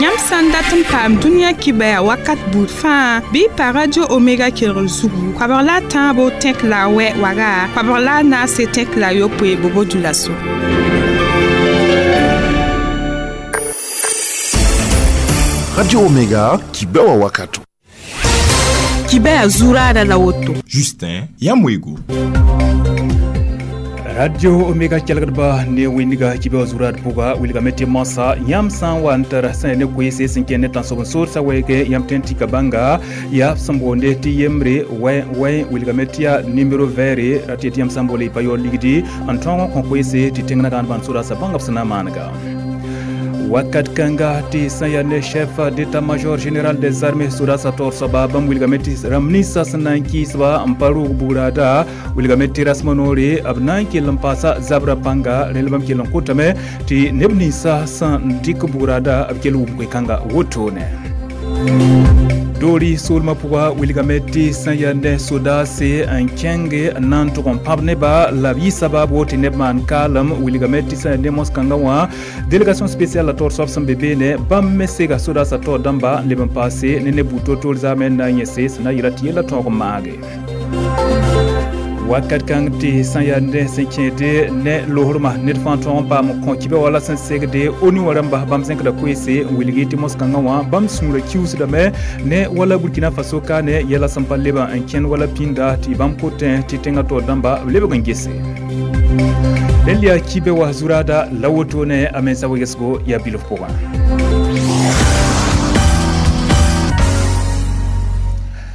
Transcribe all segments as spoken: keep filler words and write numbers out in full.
Yãmb sã n dat n paam dũniyã kibaya wakat buud fãa bɩ y pa Radio Omega kelgr zugu koabg la a tãabo tẽk la a wɛ waga koabg la a naase tẽk la a yopoe bobo dulaso. Radio Omega kibewa wakato. Kibaya zurada la woto. Justin Yamwego. Radio Omega kelgdba ne winiga kibe zurad puga wilga meti masa yam san wan tar san ne kwese sin ken tan so so sa wege yam tenti kabanga ya sambonde ti yembre we we wilga metia numero vere rati yam sambole pa yo ligdi antongo kon kwese ti tengna dan ban sura sa banga sana manga. Wakat kanga ti sanya chef d'état-major général des armées sudasa tor soba bam wilgameti ramnisa sananki sba amparu burada wilgameti rasmanore abnanki lampasa zabra panga relbam ki lankutame ti nebnisa san dik burada abkelu kanga wotone. Dori solma puga wilgameti sanyande sodase an kenge nan to kon pabne ba la bi sababu ti nebman kalam wilgameti sanyande moskanga wa délégation spéciale la tor sofsam bebe ne bam mesega sodasa to damba leben passé ne ne buto tol zamen na nyese sana yirati la to mage. Wakat kang ti sanyande senkede ne lohorma net fanton pa mo kon kibe wala sen segde oni waramba bam senk da kwese wilgi ti moskanga wa bam sumra kius da me ne wala Burkina Faso ka ne yela sampaleba en ken wala pinda ti bam koten ti tenga to damba lebe gangese Delia kibe wa zurada lawoto ne amensa wegesgo ya bilof poga.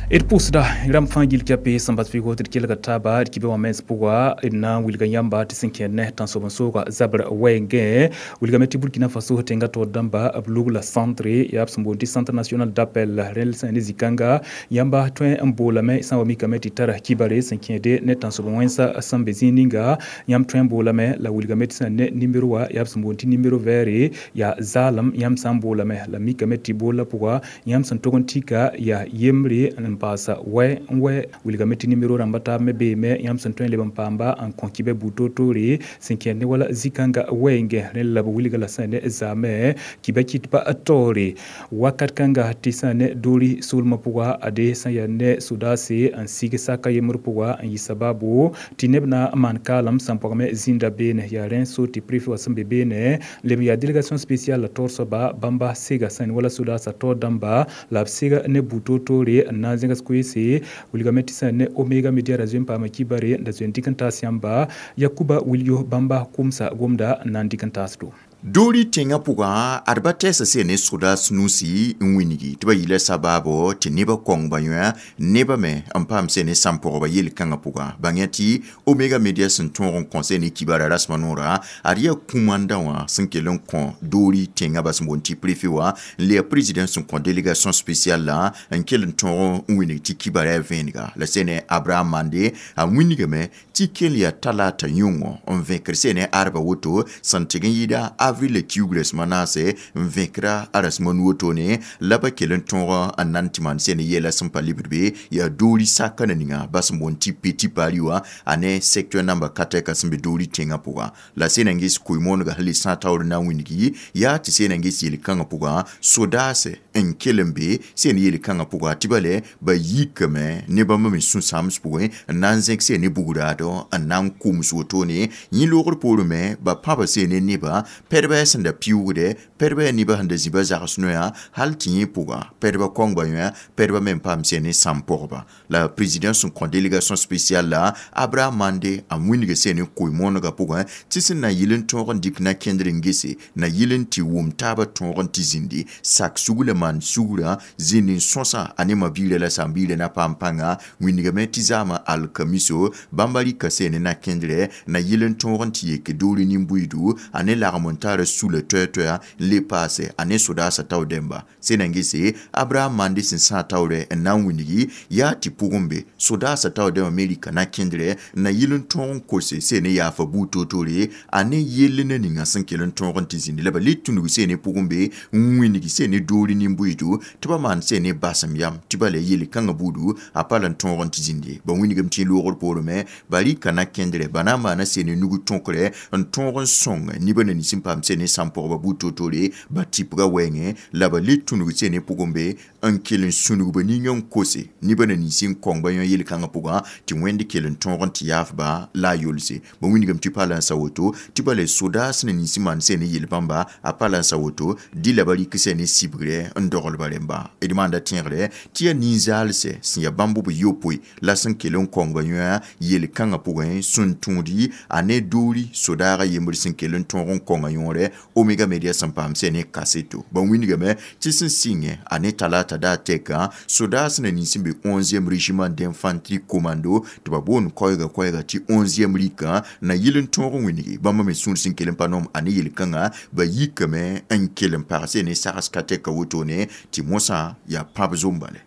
Et pusda ram fangil kape sambat figo tir kelga taba kibe wa mens puga na wilga yamba tisinke ne tan so bonso ga zabra wenge wilga meti Burkina Faso tenga to damba ablugla centre ya sambondi Centre national d'appel rel san zikanga yamba twen mbola me san wami kameti tara kibare sinke de ne tan so bonwensa sambezininga yam twen bola me la wilga meti san ne numero wa ya sambondi numero vere ya zalam yam sambola me la mikameti bola puga yam san togontika ya yemre pasa we we wilga meti numero rambata me be me yam san twen leban pamba an konkibe buto tore sinkene wala zikanga wenge rela wilga la sane zame kibe kitpa atore wakat kanga tisane dori sulma puga ade sanyane sudase an sigisa kayemur puga an yisababu tinebna man kalam sampogme zinda bene ya renso ti prefi wasambe bene lem ya délégation spéciale la torsoba bamba sega san wala sudasa to damba la sega ne buto tore na zinga squeeze wilgameti sane Omega Media razim pa makibare da zwendikan siamba Yakuba Wilio Bamba kumsa gomda nandikan tasdo. Dori tenga puga adba tesa se ne soda snusi nwinigi tiba yile sababo ti neba kong ba neba me ampam se ne sampo ba yel kanga puga bangeti Omega Media sen ton conseil ni kibara rasmanora aria kumanda wa sinkelon kon dori tenga bas mbonti préfet wa le président son kon délégation spéciale la nkel ton nwinigi ti kibara venga la sene Abraham Mande a nwinigi me ti kelia talata yungo on vaincre sene arba woto santigen yida avril kiugres manase vaincra aras manuoto ne laba kelen tonga anantiman sene yela sampa librebe ya dori sakana ninga bas monti petit pariwa ane secteur number quatre kasimbe dori tenga puga la sene ngis kuimon ga hali santa na winigi ya ti sene ngis yel kanga puga sodase en kelembe sene yel kanga puga tibale ba yikame ne ba mami sun sams puga nanzek sene bugurado anan kumso ne yilogor porume ba papa sene ne ba perbe sẽn da piuugde perbe nibã sẽn da zĩba zags noya hal tɩ yẽ pʋga perba kõngba yõ perba me n paam sẽn ne sãm pʋgba la président sẽn kõ délégation spéciale la Abraham Mande a wĩnga sẽn ne koe-moonegã pʋgẽ tɩ sẽn na yɩl n tõog n dɩk na kẽndr n gese na yɩl n tɩ wʋm taabã tõog n tɩ zĩndi sak sugla maan sugrã zĩnd n sõsa a ne ma-biirã la sãn-biirã na paam pãnga wĩndgame tɩ zaamã alkamiso bãmba rɩka sẽn ne na kẽndrɛ na yɩl n tõog n tɩ yek doori nin-buiidu a ne lagm n tar sula toɛ-toɛa n le paase a ne sodaasã tao dẽmba sẽn na n gese Abraham Mande sẽn sã taoorɛ n na n wĩndgi yaa tɩ pʋgẽ be sodaasã tao dẽmbã me rɩka na kẽndrɛ na yɩl n tõog n kose sẽn ne yaafa buud toor-toore a ne yell na ninga sẽn kell n tõog n tɩ zĩndi la ba le tũnug sẽn ne pʋgẽ be n wĩndgi sẽn ne doori nin-buiidu tɩ ba maan sẽn ne basem yam tɩ ba la yel kãngã buudu a pa la n tõog n tɩ zĩndi ba wĩndgame tɩ loogr poorẽ me ba Barika na kẽndre ba na n maana sene nug tõkre n tõog n sõng nebã na nins n paam sene sãn-pʋgba buud toor-toore ba tɩpga wɛɛngẽ la ba le tũnug sene pʋgẽ be n kell n sũnug ba ning n kose nebã na nins n kõng ba yõ yel-kãngã pʋgã tɩ Wẽnd kell n tõog n tɩ yaafba la a yolse. Ba wilgame tɩ pa la n sa woto tɩ bala sodaas na nins n maan sene yel-bãmba a pa la n sa woto dɩ la ba rɩk sene sibgrɛ n dogl ba rẽmba. D maanda tẽegre tɩ yaa nin-zaalsɛ sẽn yaa bãmb b yopoe la sẽn kell n kõng ba yõ yel-kãngã pʋgẽ sẽn tũudi a ne doori sodaagã yembr sẽn kell n tõog n kõnga yõore Omega Media sẽn paam sẽn ne kaseto. Ba wilgame tɩ sẽn sɩngẽ a ne talata daa tɛka sodaas na nins n be onzième régiment d'infanterie commando tɩ ba boond koɛɛga koɛɛga tɩ onzième rikã na yɩl n tõog n wilgi bãmba me sũur sẽn kell n pa noom a ne yel-kãngã ba yikame n kell n pagse ne sags ka tɛka wotone tɩ mosã yaa pãb zombale.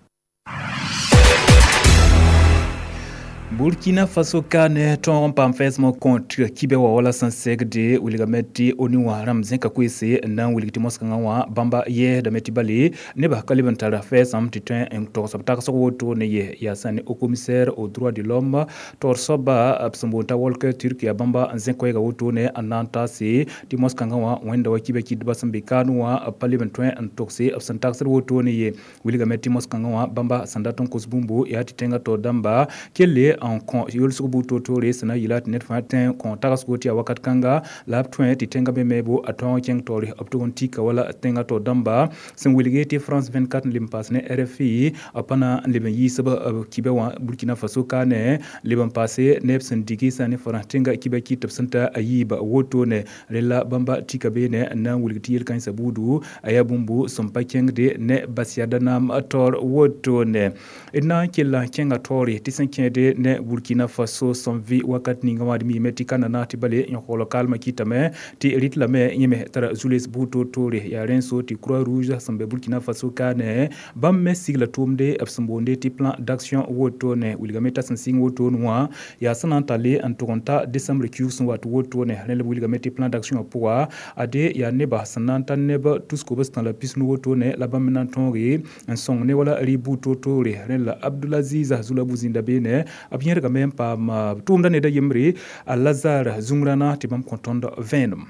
Burkina Faso kane tõog n paam fɛɛsmã kõt kibe wa wala sẽn segde wilgame tɩ ONU wã rãmb zẽka koeese n na n wilg tɩ moas-kãngã wã bãmba yɛɛsdame tɩ bale nebã ka leb n tara fɛɛsãmb tɩ tõe n togs b tagsg wotone ye yaa sã ne haut commissaire aux droits de l'homme taoor soaba b sẽn boond t'a Volker Turk yaa bãmba n zẽk koɛɛga wotone n na n taase tɩ moas-kãngã wã wẽnda wa kibe kɩdbã sẽn be kaan wã b pa leb n tõe n togse b sẽn tagsd wotone ye wilgame tɩ moas-kãngã wã bãmba sẽn dat n kos bũmbu yaa tɩ tẽngã taoor dãmba kelle n kõ yolsg buud toor-toore sẽn na n yɩla tɩ ned fãa tẽ kõ tagsgo tɩ yaa wakat kãnga la b tõe tɩ tẽngã be meebo a tõog n kẽng taoore b tʋg n tika wala tẽngã taoor dãmba sẽn wilge tɩ France vingt-quatre n leb n paas ne R F I b pa na n leb n yiisb b kibã wã Burkina Faso kaane leb n paase neb sẽn digi sã ne Frãns tẽnga kibã kɩt b sẽn ta a yiiba wotone rela bãmba tika beene n na n wilg tɩ yel-kãensã buudu a yaa bũmbu sẽn pa kẽngde ne bas-yada naam taoor wotone. D na n kella n kẽnga taoore tɩ sẽn kẽede ne Burkina Faso sẽn vɩ wakat ninga wã d miime tɩ ka nana tɩ bale yõkogl kalmã kɩtame tɩ rɩt lame yẽ me tara zu-les buud toor-toore yaa rẽn-so tɩ Croix Rouge sẽn be Burkina Faso kaane bãmb me sigla tʋʋmde b sẽn boonde tɩ plan d'action wotone wilgame t'a sẽn sɩng wotone wã yaa sẽn na n talle n tʋg n ta décembre kiuug sẽn wat wotone rẽ la b wilgame tɩ plan d'action wã pʋga ade yaa nebã sẽn na n ta neb tus-kobs-tã la pis-nu wotone la bãmb me na n tõoge n sõng ne wala rɩ buud toor-toore rẽ la Abdulaziz Zulabu zĩnda beene b yẽrgame n paam tʋʋmda ned a yembre a Lazare zũngrãna tɩ bãmb kõ tõnd vẽenem.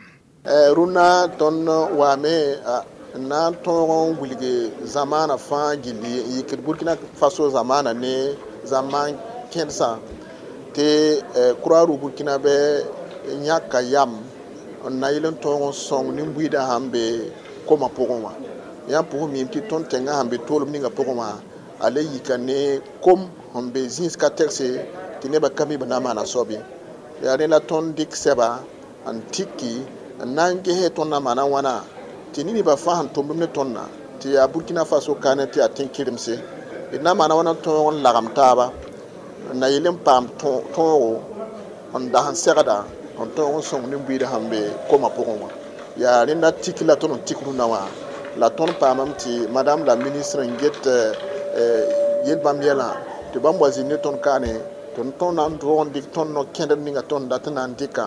Rũnna tõnd waame n na n tõog n wilg zamaana fãa gilli n yikd Burkina Faso zamaana ne zamaan kẽdsã tɩ Croix-Rouge Burkinabɛ yãka yam n na yɩl n tõog n sõng nin-buiidã sãn be koma pʋgẽ wã. Yãmb pʋgẽ miime tɩ tõnd tẽngã sãn be toolem ninga pʋgẽ wã a le yika ne kom sẽn be zĩis ka tɛgse tɩ nebã ka mi b na n maana soab ye. Yaa rẽ la tõnd dɩk sɛba n tiki n na n ges tõnd na maana wãna tɩ neb fãa sẽn tʋmd ne tõndã tɩ yaa Burkina Faso kaane tɩ yaa tẽn-kɩremse d na maana wãna tõog n lagem taaba n na yɩl n paam tõogo n das n segda n tõog n sõng nin-buiidã sẽn be koma pʋgẽ wã. Yaa rẽnda tik la tõnd n tik rũnnã wã la tõnd paamame tɩ madame la ministre n get yel-bãmb yɛlã tɩ bãmb wa zĩnd ne tõnd kaane tɩ tõnd na n tõog n dɩk tõnd no-kẽndr ninga tõnd dat n na n dɩka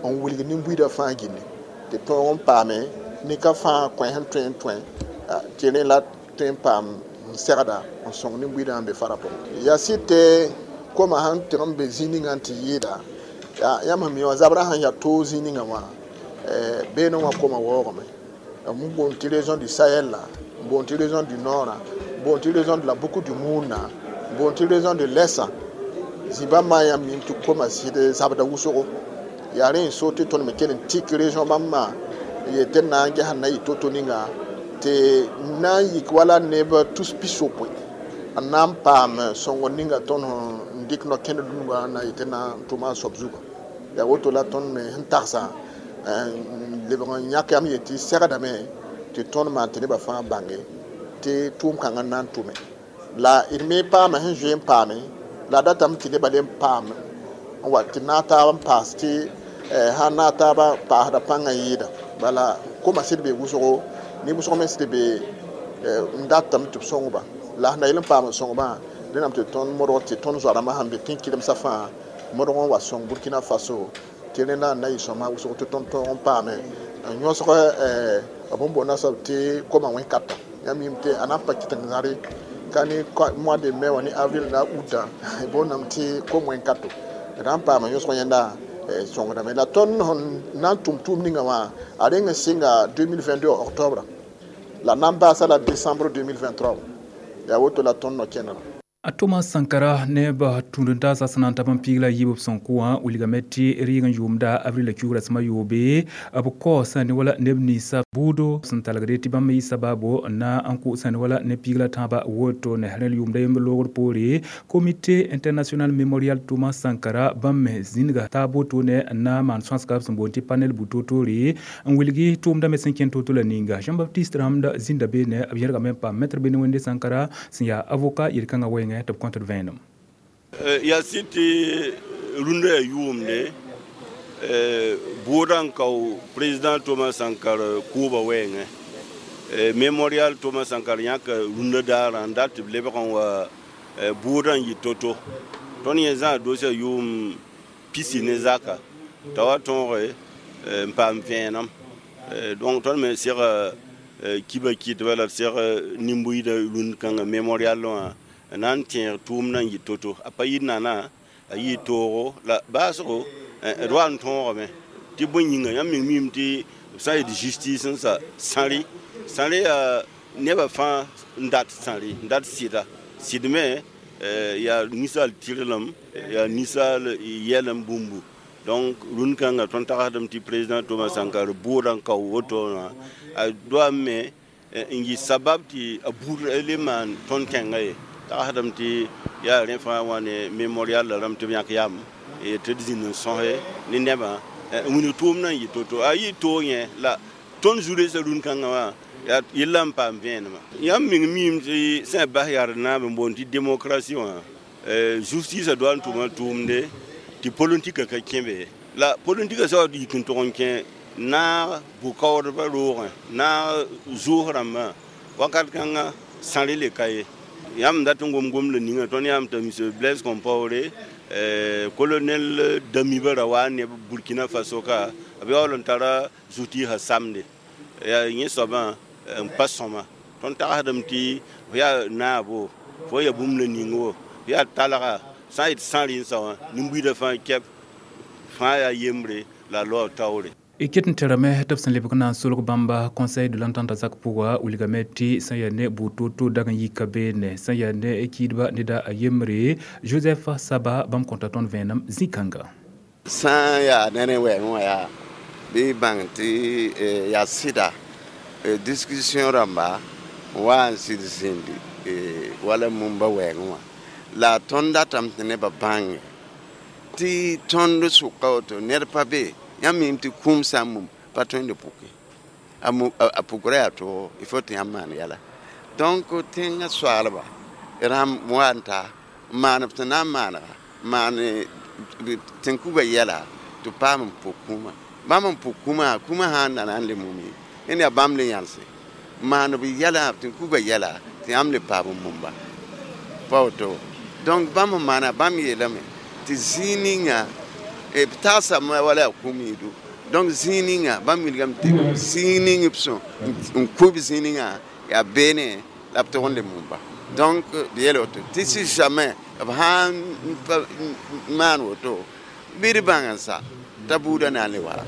n wilg nin-buiidã fãa gilli tɩ tõog n paame nin-ka fãa kõ sẽn tõe n tõe tɩ rẽ la tõe n paam n segda n sõng nin-buiidã sẽn be fara pʋgẽ. Yaa sɩd tɩ koma sãn tɩg n be zĩig ninga n tɩ yɩɩda yãmb sẽn mi wã zabrã sãn yaa toog zĩig ninga wã beene wã koma waoogame n boond tɩ région du Sahel la n boond tɩ région du Nord n boond tɩ région de la Boucle du Mouhoun n boond tɩ région de l'Est zĩ-bãmb yãmb mim tɩ koma sɩd zabda wʋsgo yaa rẽ n so tɩ tõnd me kell n tik région bãmb n yet tɩ d na n ges n na yɩ to-to ninga tɩ na n yik wala neb tus pis-yopoe n na n paam sõngr ninga tõnd n dɩk no-kẽnd dũnga n na yet tɩ na n tʋma a soab zuga. Yaa woto la tõnd me sẽn tagsa n lebg n yãk yam yetɩ segdame tɩ tõnd maan tɩ nebã fãa bãnge tɩ tʋʋm-kãngã n na n tʋme la d me paama sẽn zoe n paame la datame tɩ nebã le n paam n wa tɩ naag taab n paas tɩ sã n naag taabã paasda pãngã yɩɩda bala koma sɩd be wʋsgo ne wʋsg me sɩd be n datame tɩ b sõngba la sẽn na yɩl n paam n sõngbã rẽndame tɩ tõnd modg tɩ tõnd zoa-rãmbã sãn be tẽn-kɩremsã fãa modg n wa sõng Burkina Faso tɩ rẽnda n na yɩ sõma wʋsg tɩ tõnd tõog n paame n yõsg b n boonda soab tɩ koma wẽn-kata yãmb yĩm tɩ a na n pa kɩt n zãre ka ne mois de mai wã ne avril la août boondame tɩ kom wẽn-kato D na n paama yõsg yẽnda sõngdame la tõnd sẽn na n tʋm tʋʋm ninga wã a reng n sɩnga deux mille vingt-deux octobre la na n baasa la décembre deux mille vingt-trois. Yaa woto la tõnd no-kẽndrã. A Thomas Sankara neb tũud n taasa sẽn na n tab n piig la yiib b sẽn kʋ wã wilgame tɩ rɩɩg n yʋʋmda avril la kiugra sẽm a yoobe b kaoosa ne wala neb ninsã buudo sẽn talgde tɩ bãmb yɩ sabaabo n na n kʋʋsa ne wala ne piig la tãabã woto ne rẽl yʋʋmda yembr loogr poore. Comité international mémorial Thomas Sankara bãmb me zĩnga taab wotone n na n maan sõasga b sẽn boond tɩ panel bu-toor-toore n wilgi tʋʋmdã me sẽn kẽn to-to la ninga. Jean Baptiste rãmda zĩnda beene b yẽrgame n paam maître Bene Wẽnde Sankara sẽn yaa avocat yel-kãngã wɛɛngẽ tɩ b kõt d vẽenem. Yaa sɩd tɩ rũndã yaa yʋʋmde bʋʋdã n kao président Thomas Sankara kʋʋba wɛɛngẽ. Mémorial Thomas Sankara yãka rũndã daarã n dat tɩ b lebg n wa bʋʋdã n yɩ to-to. Tõnd yẽ zãa doosã yʋʋm pisi ne zaka t'a wa tõoge n paam vẽenem. Donc tõnd me sega kiba kɩtba la d seg nin-buiidã rũnd kãngã mémorial wã n na n tẽeg tʋʋmdã n yɩ to-to. A pa yɩ nana, a yɩ toogo la baasgo d wa n tõogame tɩ bõe yĩnga yãmb meng miime tɩ b sã n yet justice n sa sãre sãre yaa nebã fãa n dat sãre n dat sɩda sɩd me yaa ninsaal tɩrlem, yaa ninsaal yɛlem bũmbu. Donc rũnd kãngã tõnd tagsdame tɩ président Thomas Sankara bʋʋdã n kao woto wã a doam me n yɩ sabab tɩ a buud le maan tõnd kẽngã ye tagsdame tɩ yaa rẽ fãa wã ne mémorial la rãmb tɩ b yãk yam tɩ d zĩnd n sõse ne nebã n wilg tʋʋmdã n yɩ to-to. A yɩ toog yẽ la tõnd zu-reesã rũnd kãngã wã yaa yella n paam vẽenemã. Yãmb meng miime tɩ sẽn bas yaa d naab n boond tɩ démocratie wã justice doa n tʋma tʋʋmde tɩ politika ka kẽ be la politika sa wa yik n tʋg n kẽ naag bʋ-kaoodbã roogẽ naag zʋʋs rãmbã wakat kãngã sãre le ka ye. Yãmb dat n gom gomda ninga tõnd yãam t'a monsieur Blaise Compaoré, colonel Damiba ra wa ne Burkina Faso ka b yaool n tara zu-tɩɩsã samde yaa yẽ soabã n pa sõma. Tõnd tagsdame tɩ f yaa naabo, fo yaa bũmb la ning wo f yaa talga sã n yet sã rẽn wã nin-buiidã fãa kɛp fãa yaa yembre la loa taoore. Y ket n terame tɩ b sẽn lebg na n solg bãmba Conseil de l'entente zak pʋga wilgame tɩ sẽn yaa ne bʋ-to-to dag n yika beene sẽn yaa ne kiidba neda a yembre Joseph Saba bãmb kõta tõnd vẽenem zĩ-kãnga. Sã n yaa ne rẽ wɛɛngẽ wã yaa bɩ y bãng tɩ yaa sɩda discussion rãmba wa n sɩd zĩndi wala mumba wɛɛngẽ wã la tõnd datame tɩ nebã bãnge tɩ tõnd sʋka woto ned pa be. Yãmb miime tɩ kũum sã n mum pa tõe n d puke a pukra yaa toogo il faut tɩ yãmb maan yɛla. Donc tẽngã soaalba rãmb wa n ta n maan b tɩ na n maanega maan tẽn-kuga yɛla tɩ paam n puk kũumã bãmb n puk kũumã kũumã sã n da na n le mum ye yẽnd yaa bãmb le yãlse maan b yɛla tẽn-kuga yɛla tɩ yãmb le paam n mumba pa woto. Donc bãmb n maana bãmb yeelame tɩ zĩig ninga b tagsame wala yaa kũum yĩdu. Donc zĩig ninga bãmb wilgame tɩ zĩig ning b sõ n kʋ b zĩig ninga yaa beene la b tog n le mumba. Donc b yeel woto tɩ si jamais b sã n maan woto bɩ d bãng n sa t'a buudã na n le wara.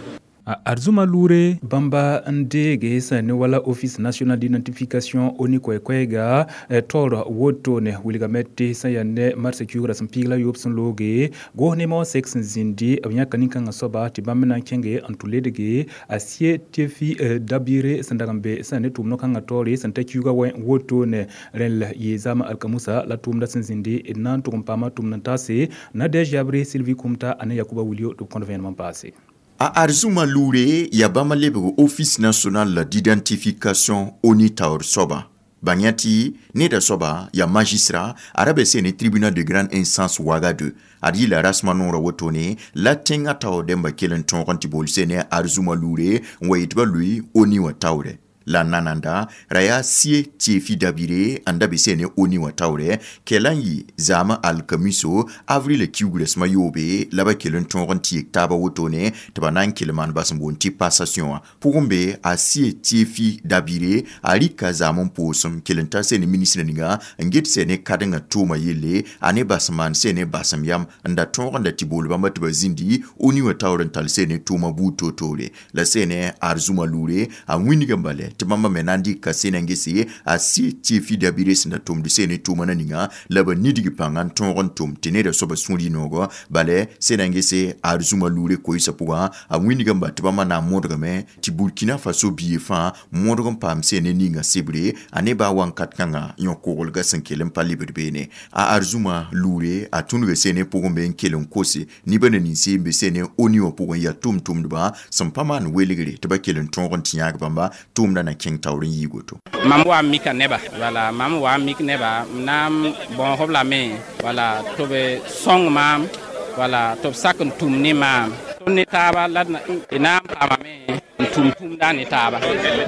Arzuma Lure bãmba n deege sẽn ne wala Office national d'identification ONI koɛ-koɛɛga taoor wotone wilgame tɩ sẽn yaa ne marsã kiugrã sẽn piig la yoob sẽn looge goos ne wã sek sẽn zĩndi b yãka nin-kãngã soaba tɩ bãmb me na n kẽnge n tʋ ledge a sie tefi dabire sẽn dag n be sẽn ne tʋʋm no-kãngã taoore sẽn ta kiuugã wɛ wotone rẽl yɩ zama alkamusa la tʋʋmdã sẽn zĩndi d na n tʋg n paama tʋʋmd n taase Nadɛge Yabre Sylvie Kumta ane Yakuba Wilio tɩ b kõt vẽenem n paase. A Arzuma Lure yaa bãmb lebg Office national d'identification ONI taoor soaba bãng tɩ neda soaba yaa magistrat a ra be sẽn ne tribunal de grande instance Ouagadou ad yɩla rasmã noorã wotone la tẽngã taoor dẽmba kell n tõog n tɩ bool sẽn ne Arzuma Lure n wa yetɩ ba lʋɩ ONI wã taoorɛ. La nananda ra yaa sie tɩ dabire n da be sene ONU wã taoorɛ kɛla n yɩ zaamã alkamiso avril kiugrã sẽma yoobe la ba kell n tõog n tɩ yek taaba wotone tɩ ba na n kell maan bas n boond tɩ passation wã pʋgẽ be a sie tɩ dabire a rɩka zaam n poosem kell n tar sene ministre ninga n get sene kadengã tʋʋma yelle a ne bas n maan sene basem yam n da tõog n da tɩ bool bãmba tɩ ba zĩndi ONU wã taoor n tall sene tʋʋma buud toor-toore la sene arzuma loore a wĩnigã bale tɩ bãmba me na n dɩka sena n gese a sie tɩ dabire sẽn da tʋmd sene tʋʋma na ninga la ba nidg pãnga n tõog n tʋm tɩ neda soaba sũur yɩ-noogɔ bale sena n gese arzuma loore koɩsã pʋgã a wĩnigã ba tɩ bãmba na n modgame tɩ Burkina Faso bie fãa modg n paam sene ninga sebre a ne baa wãnkat kãngã yõ-koglga sẽn kell n pa lebd beene a arzuma loore a tũnuga sene pʋgẽ be n kell n kose nibã na ninse n be sene ONU wã pʋgẽ yaa tʋm-tʋmdbã sẽn pa maan welgre tɩ ba kell n tõog n tɩ yãag bãmba tʋʋmdã na kẽng taoor n yɩɩ woto. Mam wa mika neba, wala mam wa mik neba n na n bõosb lame, wala tɩ b sõng maam, wala tɩ b sak n tũm ne maam tõnd ne taaba la d na n paamame n tũm tũmda ne taaba,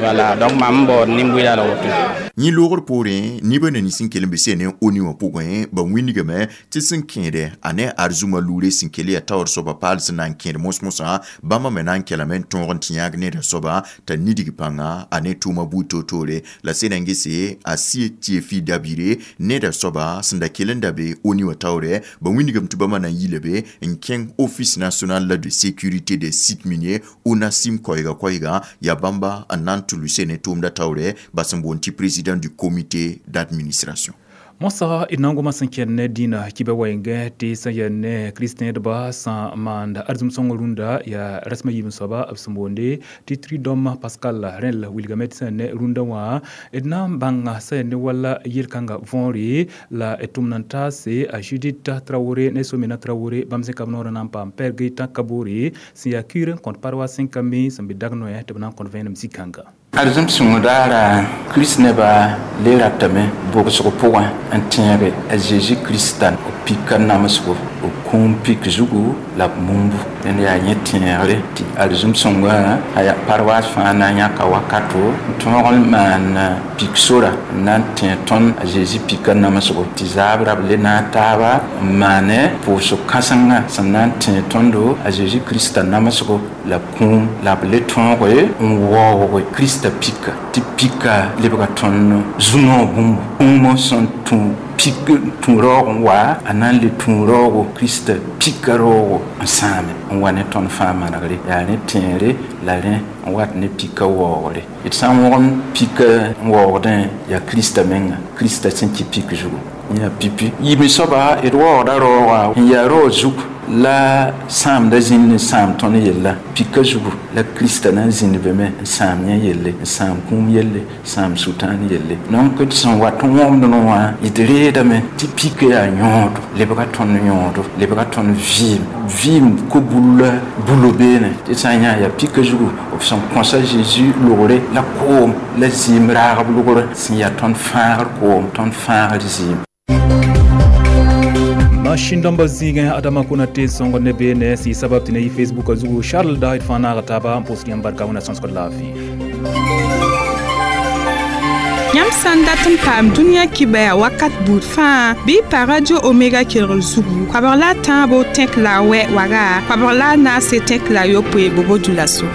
wala donc mam n baood nin-bʋɩda la woto. Yẽ loogr poorẽ nibã na nins n kell n be sene ONU wã pʋgẽ ba wĩnigame tɩ sẽn kẽede a ne arzuma loore sẽn kell yaa taoor soaba paal sẽn na n kẽed mos-mosã bãmba me na n kelame n tõog n tɩ yãag neda soaba t'a nidg pãnga a ne tʋʋma buud toor-toore la sẽn na n gese a sie tɩ dabire neda soaba sẽn da kell n da be ONU wã taoorɛ ba wĩnigame tɩ bãmba na n yila be n kẽng Office national de sécurité des sites miniers ONASIM koɛɛga koɛɛga yaa bãmba n na n tʋ sene tʋʋmda taoorɛ bas n boond tɩ président du comité d'administration. Mosa d na n goma sẽn kẽnd ne dĩinã kibã wɛɛngẽ tɩ sẽn yaa ne kristẽdba sẽn maand arzem sõng rũndã yaa rasem a yiib soaba b sẽn boonde tɩ Tridom Pascal rẽl wilgame tɩ sẽn ne rũndã wã d na n bãnga sẽn yaa ne wala yel-kãngã võore la d tʋmd n taase a Judith Traoré ne Somena Traoré bãmb sẽn ka b noorã na n paam Pɛr Gaëtan Kabore sẽn yaa kiir n kõt paroisse sẽn ka mi sẽn be dag-noɛ tɩ b na n kõt vẽenem zĩ-kãnga. Arzem sõng daara Kirist nebã le ratame bʋgsg pʋgẽ n tẽege a Zeezi Krista b pika namsgo b kũum pik zugu la b mumbu dẽnd yaa yẽ tẽegre tɩ arzem sõngã a yaa paroisse fãa na n yãka wakato n tõog n maan pik sora n na n tẽ tõnd a Zeezi pika namsgo tɩ zaabra b le naag taaba n maane pʋʋsg kãsenga sẽn na n tẽ tõndo a Zeezi Krista namsgo la kũum la b le tõoge n waoog Krista pika tɩ pika lebga tõnd zu-noog bũmbu kũumã sẽn tũ pik tũ raoog n wa a na n le tũ raoogo Krista pika raoogo n sãame n wa ne tõnd fãa manegre yaa rẽ tẽere la rẽ n wat ne pika waoogre d sã n wõgem pika n waoogdẽ yaa Krista menga Krista sẽn kɩ pik zugu yã pipi yiime soaba d waoogda raoogã n yaa raoog zug la sãamda zĩnd n sãam tõnd yella pika zugu la Krista na n zĩnd be me n sãam yẽ yelle n sãam kũum yelle sãam sʋtãan yelle donc d sẽn wat n wõmd wã d reedame tɩ pika yaa yõodo lebga tõnd yõodo lebga tõnd vɩɩm vɩɩm ko-bulla bulo beene tɩ sã n yã yaa pika zugu b sẽn kõsa Zeezi logre la koom la zɩɩm raagb logr sẽn yaa tõnd fãagr koom tõnd fãagr zɩɩm. Machine dãmba zĩigẽ Adama Konate sõngd ne beene sɩ sabab tɩ ne yɩ Facebook a zugu Charles da d fãa naaga taaba n pʋsd yãmb barka wẽna sõsgd laafɩ. Yãmb sã n dat n paam dũniyã kibɛa wakat buud fãa bɩ y pa Radio Omega kelgr zugu koabg la a tãabo tẽk la a wɛ waga koabg la a naase tẽk la a yopoe bobo dulaso.